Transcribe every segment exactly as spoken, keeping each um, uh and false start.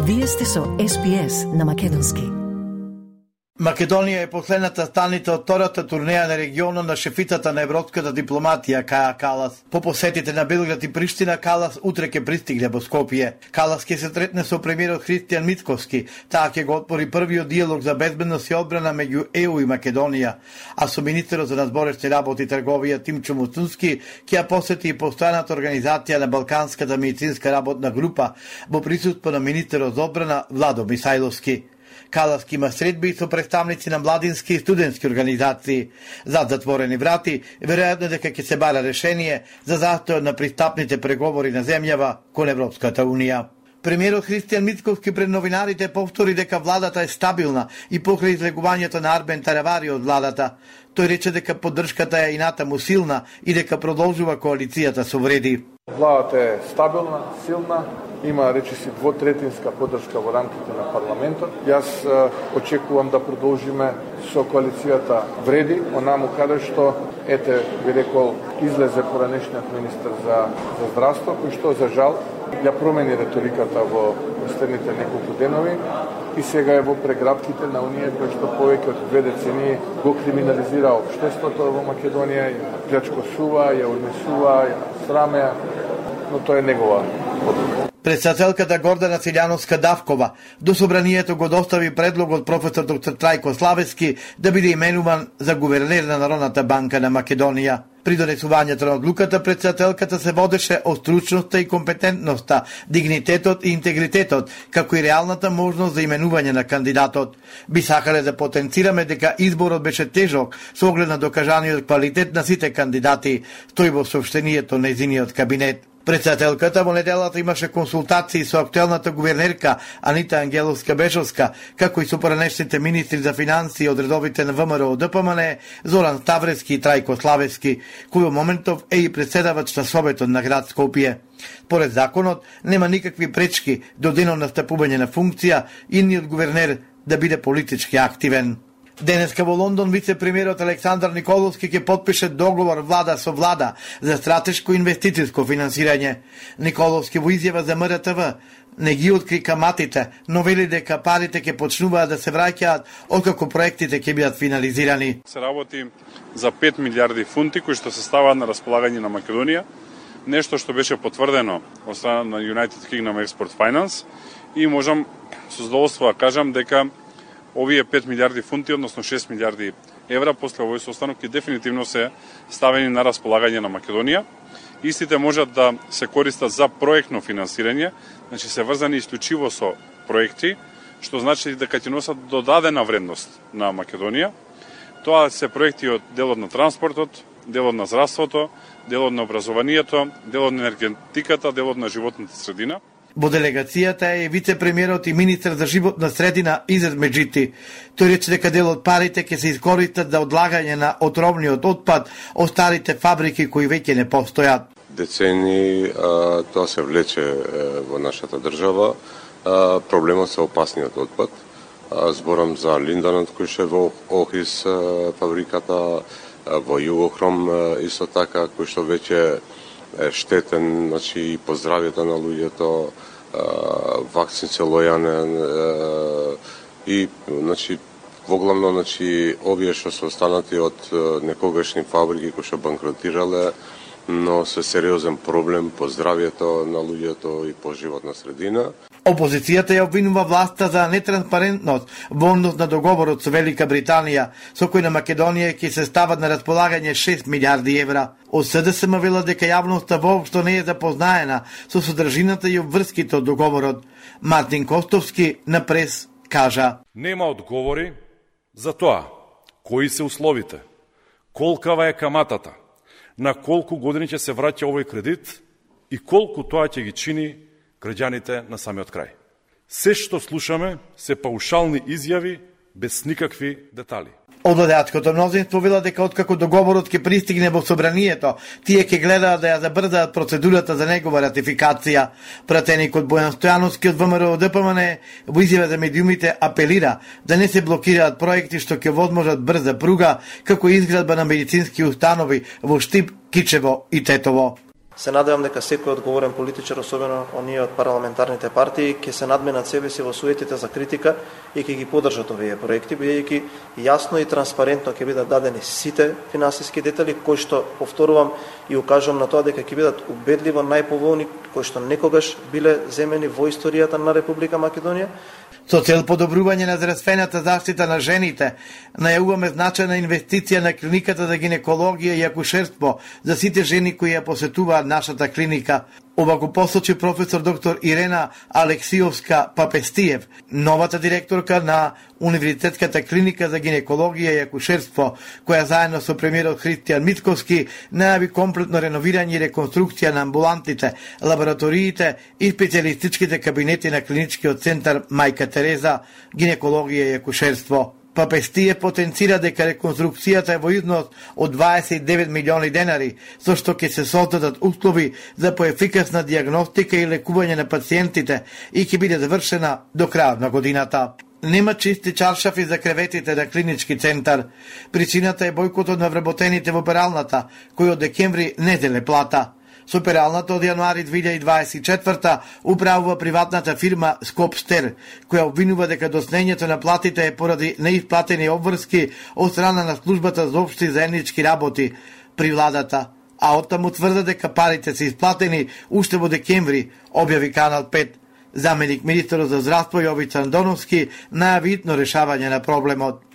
Вие сте со Ес Би Ес на македонски. Македонија е последната станица од втората турнеја на регионот на шефицата на европската дипломатија Каја Калас. По посетите на Белград и Приштина, Калас утре ќе пристигне во Скопје. Калас ќе се третне со премиерот Христијан Мицковски. Таа ќе го отвори првиот диалог за безбедност и одбрана меѓу Е У и Македонија. А со министерот за надзборешни работи и трговија Тимчо Муцунски ќе ја посети и постојаната организација на Балканската медицинска работна група во присуство на министерот за одбрана Владо Мисајловски. Калас има средби со представници на младински и студентски организации. Зад затворени врати, веројатно дека ќе се бара решение за застојот на пристапните преговори на земјава кон Европската Унија. Премиерот Христијан Мицковски пред новинарите повтори дека владата е стабилна и покрај излегувањето на Арбен Таравари од владата. Тој рече дека поддршката е инатаму силна и дека продолжува коалицијата со вреди. Владата е стабилна, силна, има речиси двотретинска поддршка во рамките на парламентот. Јас е, очекувам да продолжиме со коалицијата вреди, онаму каде што, ете, би рекол, излезе поранешниот министер за, за здравство, кој што, за жал, ја промени реториката во последните неколку денови и сега е во преграбките на оние кои што повеќе од две децении го криминализира општеството во Македонија, ја плячкосува, ја однесува, ја сраме, но тоа е негова одлука. Председателката Гордана Силјановска-Давкова до собранието го достави предлог од професор доктор Трајко Славески да биде именуван за гувернер на Народната банка на Македонија. При донесувањето на одлуката председателката се водеше од стручноста и компетентноста, дигнитетот и интегритетот, како и реалната можност за именување на кандидатот. Би сакале да потенцираме дека изборот беше тежок со оглед на докажаниот квалитет на сите кандидати, стои во соопштението на нејзиниот кабинет. Председателката во неделата имаше консултации со актуелната гувернерка Анита Ангеловска-Бешовска, како и со поранешните министри за финансии од редовите на Вэ Ем Ер О Д П М Н, Зоран Ставрески и Трајко Славески, кој во моментов е и председавач на Советот на град Скопје. Поред законот, нема никакви пречки до денот на стапување на функција идниот гувернер да биде политички активен. Денеска во Лондон вице-премиерот Александар Николовски ќе подпише договор влада со влада за стратешко инвестициско финансирање. Николовски во изјава за М Р Т В не ги откри каматите, но вели дека парите ќе почнуваат да се враќаат откако проектите ќе бидат финализирани. Се работи за пет милиарди фунти кои што се ставаат на располагање на Македонија, нешто што беше потврдено од страна на United Kingdom Export Finance и можам со задоволство да кажам дека овие пет милиарди фунти, односно шест милиарди евра, после овој состанок ќе дефинитивно се ставени на располагање на Македонија. Истите можат да се користат за проектно финансирање, значи се врзани исклучиво со проекти, што значи дека ќе носат додадена вредност на Македонија. Тоа се проекти од делот на транспортот, делот на здравството, делот на образованието, делот на енергетиката, делот на животната средина. Во делегацијата е вице-премиерот и министер за животна средина Изет Меджити. Тој рече дека дел од парите ќе се искористат за одлагање на отровниот отпад од старите фабрики кои веќе не постојат. Децени тоа се влече во нашата држава. Проблемот се опасниот отпад. Зборам за Линданот кој ше во Охрис фабриката, во Југохром исто така кој што веќе е штетен, значи и по здравјето на луѓето, вакцинце лојане и значи воглавно значи овие што се останати од некогашни фабрики кои што банкротирале, но се сериозен проблем по здравјето на луѓето и по животна средина. Опозицијата ја обвинува власта за нетранспарентност во однос на договорот со Велика Британија, со кој на Македонија ќе се стават на располагање шест милиарди евра. Од С Д С М вела дека јавноста воопшто не е запознаена со содржината и обврските од договорот. Мартин Костовски на прес кажа: Нема одговори за тоа кои се условите, колкава е каматата, на колку години ќе се враќа овој кредит и колку тоа ќе ги чини граѓаните на самиот крај. Се што слушаме се паушални изјави без никакви детали. Од владеачкото мнозинство вела дека откако договорот ќе пристигне во собранието, тие ќе гледаат да ја забрзаат процедурата за негова ратификација. Пратеникот Бојан Стојановски од Вэ Ем Ер О Д П М Н во изјава за медиумите апелира да не се блокираат проекти што ќе возможат брза пруга, како изградба на медицински установи во Штип, Кичево и Тетово. Се надевам дека секој одговорен политичар, особено оние од парламентарните партии, ќе се надменат себе си во суетите за критика и ќе ги поддржат овие проекти, бидејќи јасно и транспарентно ќе бидат дадени сите финансиски детали, кои што повторувам и укажувам на тоа дека ќе бидат убедливо најповолни, кои што некогаш биле земени во историјата на Република Македонија. Со цел подобрување на здравствената заштита на жените, најавуваме значајна инвестиција на клиниката за гинекологија и акушерство за сите жени кои ја посетуваат нашата клиника. Ова го посочи професор доктор Ирена Алексиовска-Папестиев, новата директорка на Универзитетската клиника за гинекологија и акушерство, која заедно со премиерот Христијан Мицковски најави комплетно реновирање и реконструкција на амбулантите, лабораториите и специјалистичките кабинети на клиничкиот центар Мајка Тереза, гинекологија и акушерство. Папестиев потенцира дека реконструкцијата е во износ од дваесет и девет милиони денари, со што ќе се создадат услови за поефикасна дијагностика и лекување на пациентите и ќе биде завршена до крајот на годината. Нема чисти чаршафи за креветите на клинички центар. Причината е бојкотот на вработените во пералната, кој од декември не деле плата. Со пералната од јануари две илјади дваесет и четврта управува приватната фирма Скопстер, која обвинува дека доснењето на платите е поради неисплатени обврски од страна на службата за општи заеднички работи при владата, а оттаму тврда дека парите се исплатени уште во декември, објави Канал пет. Заменик министерот за здравство Јовица Андоновски најави итно решавање на проблемот.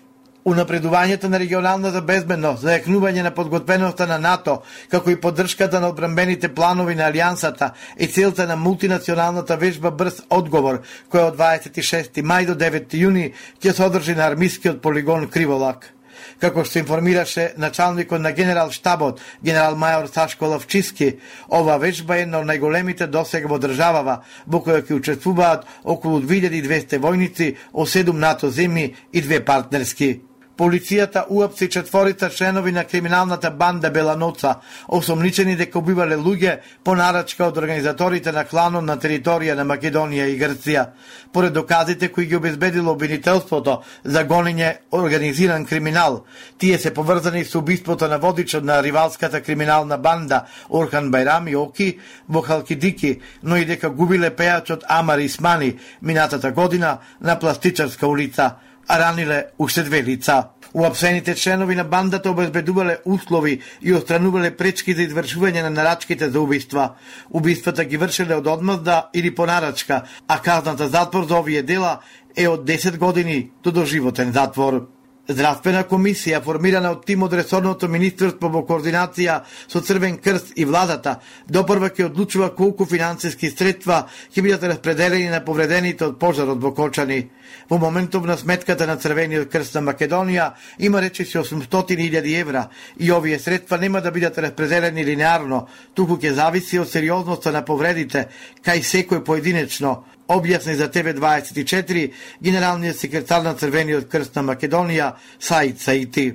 Унапредувањето на регионалната безбедност, зајакнување на подготвеноста на НАТО, како и поддршката на одбранбените планови на Алијансата и целта на мултинационалната вежба Брз одговор, која од дваесет и шести мај до девети јуни ќе се одржи на армискиот полигон Криволак. Како што информираше началникот на генерал штабот, генерал мајор Сашко Лавчиски, ова вежба е една од најголемите досега во државава, во која ќе учествуваат околу две илјади и двесте војници од седум НАТО земји и две партнерски. Полицијата уапси четворица членови на криминалната банда Беланоца, осомничени дека убивале луѓе по нарачка од организаторите на кланот на територија на Македонија и Грција. Поред доказите кои ги обезбедило обвинителството за гонење организиран криминал, тие се поврзани со убиството на водичот на ривалската криминална банда Орхан Байрами Оки во Халкидики, но и дека губиле пејачот Амар Исмани минатата година на Пластичарска улица, а раниле уште две лица. Уапсените членови на бандата обезбедувале услови и отстранувале пречки за извршување на нарачките за убиства. Убиствата ги вршеле од одмазда или по нарачка, а казната затвор за овие дела е од десет години до доживотен затвор. Здравствена комисија, формирана од тим од ресорното министерство во координација со Црвен крст и владата, допрва ќе одлучува колку финансиски средства ќе бидат распределени на повредените од пожарот во Кочани. Во моментов на сметката на Црвениот крст на Македонија има речиси осумстотини илјади евра и овие средства нема да бидат распределени линеарно, туку ќе зависи од сериозноста на повредите кај секој поединечно, објасни за Т В дваесет и четири генералниот секретар на Црвениот крст на Македонија Саид Саити.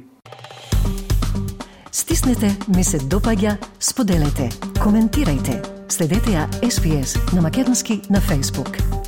Стиснете, ми се допаѓа, споделете, коментирајте. Следете ја Ес Би Ес на македонски на Facebook.